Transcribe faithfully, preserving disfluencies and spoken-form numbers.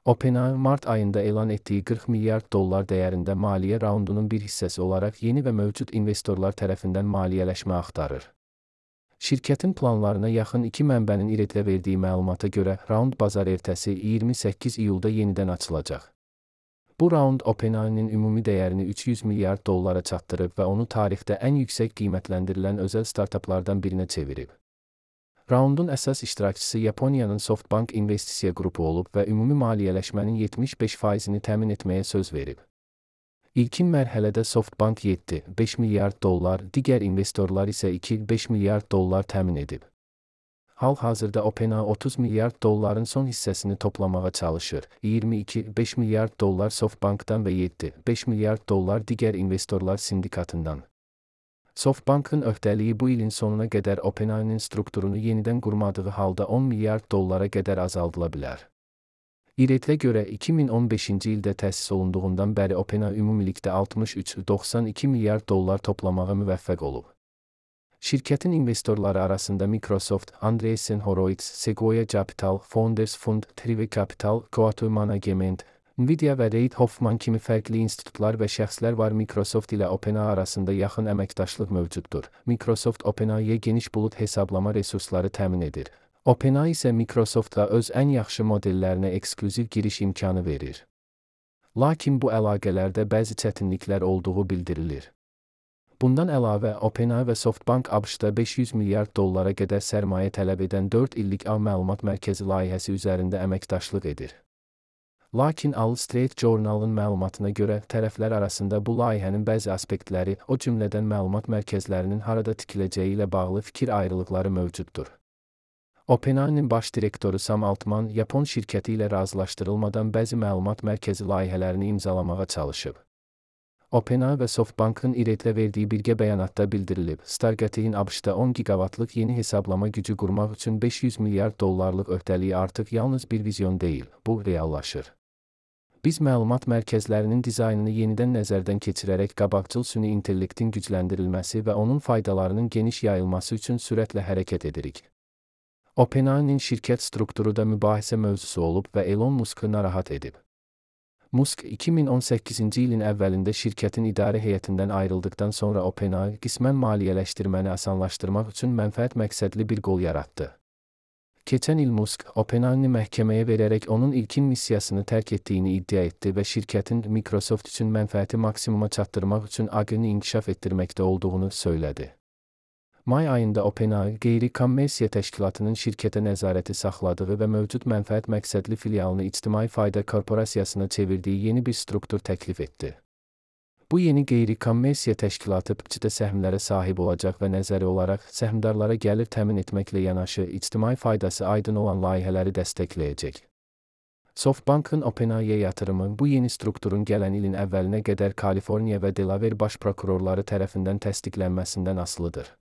OpenAI, Mart ayında elan ettiyi qırx milyard dollar dəyərində maliyyə raundunun bir hissəsi olaraq yeni və mövcud investorlar tərəfindən maliyyələşmə axtarır. Şirkətin planlarına yaxın iki mənbənin İRETlə verdiyi məlumata görə, raund bazar ertəsi iyirmi səkkiz iyulda yenidən açılacaq. Bu raund OpenAI-nin ümumi dəyərini üç yüz milyard dollara çatdırıb və onu tarixdə ən yüksək qiymətləndirilən özəl startaplardan birinə çevirib. Raundun əsas iştirakçısı Yaponiyanın SoftBank investisiya qrupu olub və ümumi maliyyələşmənin yetmiş beş faizini təmin etməyə söz verib. İlkin mərhələdə SoftBank yeddi beş milyard dollar, digər investorlar isə iki beş milyard dollar təmin edib. Hal-hazırda OpenAI otuz milyard dolların son hissəsini toplamağa çalışır. iyirmi iki beş milyard dollar SoftBankdan və yeddi beş milyard dollar digər investorlar sindikatından. SoftBankın öhdəliyi bu ilin sonuna qədər OpenAI-nin strukturunu yenidən qurmadığı halda on milyard dollara qədər azaldıla bilər. İRETlə görə iki min on beşinci ildə təsis olunduğundan bəri OpenAI ümumilikdə altmış üç doxsan iki milyard dollar toplamağa müvəffəq olub. Şirkətin investorları arasında Microsoft, Andreessen Horowitz, Sequoia Capital, Founders Fund, Trive Capital, Coatue Management, Nvidia və Reid Hoffman kimi fərqli institutlar və şəxslər var. Microsoft ilə OpenAI arasında yaxın əməkdaşlıq mövcuddur. Microsoft OpenAI-yə geniş bulut hesablama resursları təmin edir. OpenAI isə Microsoftla öz ən yaxşı modellərinə eksklüziv giriş imkanı verir. Lakin bu əlaqələrdə bəzi çətinliklər olduğu bildirilir. Bundan əlavə, OpenAI və SoftBank ABŞ-da beş yüz milyard dollara qədər sərmayə tələb edən dörd illik ağ məlumat mərkəzi layihəsi üzərində əməkdaşlıq edir. Lakin Wall Street Journal-ın məlumatına görə, tərəflər arasında bu layihənin bəzi aspektləri, o cümlədən məlumat mərkəzlərinin harada tikiləcəyi ilə bağlı fikir ayrılıqları mövcuddur. OpenAI-nin baş direktoru Sam Altman, Yapon şirkəti ilə razılaşdırılmadan bəzi məlumat mərkəzi layihələrini imzalamağa çalışıb. OpenAI və SoftBankın İRETlə verdiyi birgə bəyanatda bildirilib, Stargate'in ABŞ-da on giqavatlıq yeni hesablama gücü qurmaq üçün beş yüz milyard dollarlıq öhdəliyi artıq yalnız bir vizyon deyil, bu reallaşır. Biz məlumat mərkəzlərinin dizaynını yenidən nəzərdən keçirərək qabaqcıl süni intellektin gücləndirilməsi və onun faydalarının geniş yayılması üçün sürətlə hərəkət edirik. OpenAI-nin şirkət strukturu da mübahisə mövzusu olub və Elon Musk'ı narahat edib. Musk, iki min on səkkizinci ilin əvvəlində şirkətin idarə heyətindən ayrıldıqdan sonra OpenAI qismən maliyyələşdirməni asanlaşdırmaq üçün mənfəət məqsədli bir qol yaratdı. Keçən il Musk, OpenAI-ni məhkəməyə verərək onun ilkin missiyasını tərk etdiyini iddia etdi və şirkətin Microsoft üçün mənfəəti maksimuma çatdırmaq üçün ağını inkişaf etdirməkdə olduğunu söylədi. May ayında OpenAI, qeyri-kommersiya təşkilatının şirkətə nəzarəti saxladığı və mövcud mənfəət məqsədli filialını İctimai Fayda Korporasiyasına çevirdiyi yeni bir struktur təklif etdi. Bu yeni qeyri-kommersiya təşkilatı P C-də səhmlərə sahib olacaq və nəzəri olaraq səhmdarlara gəlir təmin etməklə yanaşı ictimai faydası aydın olan layihələri dəstəkləyəcək. SoftBankın OpenAI-yə yatırımı bu yeni strukturun gələn ilin əvvəlinə qədər Kaliforniya və Delaware baş prokurorları tərəfindən təsdiqlənməsindən asılıdır.